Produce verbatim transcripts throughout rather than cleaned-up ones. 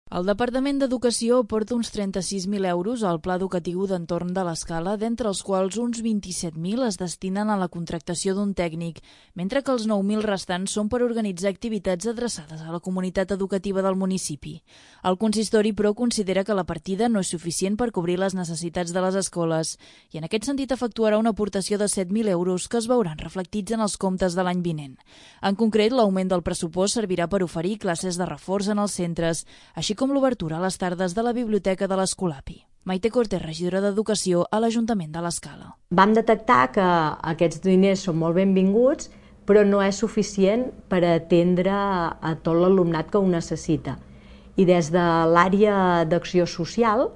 El Departament d'Educació aporta uns trenta-sis mil euros al Pla Educatiu d'Entorn de l'Escala, d'entre els quals uns vint-i-set mil es destinen a la contractació d'un tècnic, mentre que els nou mil restants són per organitzar activitats adreçades a la comunitat educativa del municipi. El consistori, però, considera que la partida no és suficient per cobrir les necessitats de les escoles i en aquest sentit efectuarà una aportació de set mil euros que es veuran reflectits en els comptes de l'any vinent. En concret, l'augment del pressupost servirà per oferir classes de reforç en els centres, així com l'obertura a les tardes de la biblioteca de l'Escolapi. Maite Cortés, regidora d'Educació a l'Ajuntament de l'Escala. Vam detectar que aquests diners són molt benvinguts, però no és suficient per atendre a tot l'alumnat que ho necessita. I des de l'àrea d'acció social,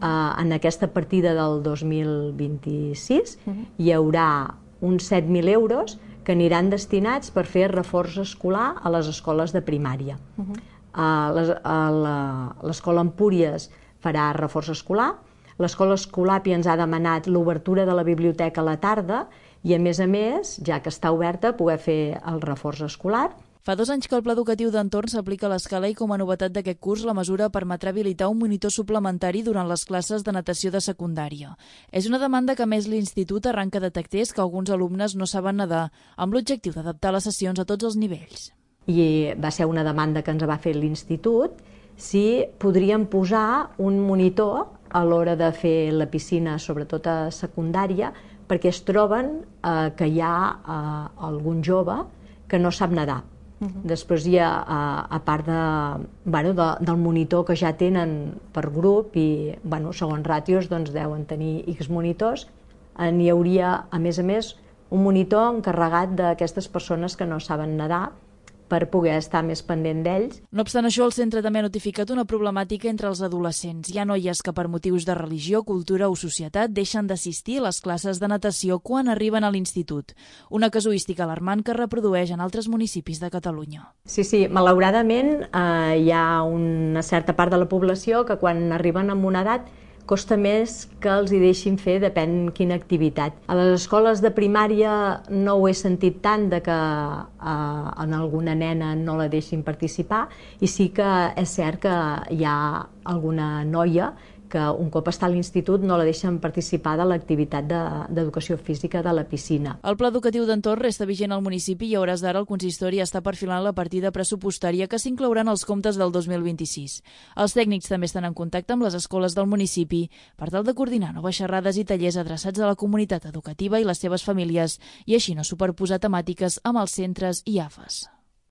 en aquesta partida del dos mil vint-i-sis, hi haurà uns set mil euros que aniran destinats per fer reforç escolar a les escoles de primària. L'escola Empúries farà reforç escolar, l'escola Escolapi ens ha demanat l'obertura de la biblioteca a la tarda i, a més a més, ja que està oberta, poder fer el reforç escolar. Fa dos anys que el Pla Educatiu d'Entorn s'aplica a l'Escala i, com a novetat d'aquest curs, la mesura permetrà habilitar un monitor suplementari durant les classes de natació de secundària. És una demanda que, a més, l'Institut arranca detectés que alguns alumnes no saben nedar, amb l'objectiu d'adaptar les sessions a tots els nivells. I va ser una demanda que ens va fer l'Institut si podríem posar un monitor a l'hora de fer la piscina, sobretot a secundària, perquè es troben eh, que hi ha eh, algun jove que no sap nedar. Uh-huh. Després hi ha, a part de, bueno, de, del monitor que ja tenen per grup i, bueno, segons ràtios, doncs deuen tenir X monitors, n'hi hauria, a més a més, un monitor encarregat d'aquestes persones que no saben nedar, per poder estar més pendent d'ells. No obstant això, el centre també ha notificat una problemàtica entre els adolescents. Hi ha noies que per motius de religió, cultura o societat deixen d'assistir a les classes de natació quan arriben a l'institut. Una casuística alarmant que es reprodueix en altres municipis de Catalunya. Sí, sí, malauradament eh, hi ha una certa part de la població que quan arriben a una edat costa més que els hi deixin fer depèn quina activitat. A les escoles de primària no ho he sentit tant de que eh, en alguna nena no la deixin participar i sí que és cert que hi ha alguna noia que un cop està a l'institut no la deixen participar de l'activitat d'educació física de la piscina. El Pla Educatiu d'Entorn resta vigent al municipi i a hores d'ara el consistori està perfilant la partida pressupostària que s'inclourà en els comptes del dos mil vint-i-sis. Els tècnics també estan en contacte amb les escoles del municipi per tal de coordinar noves xerrades i tallers adreçats a la comunitat educativa i les seves famílies i així no superposar temàtiques amb els centres i A F Es.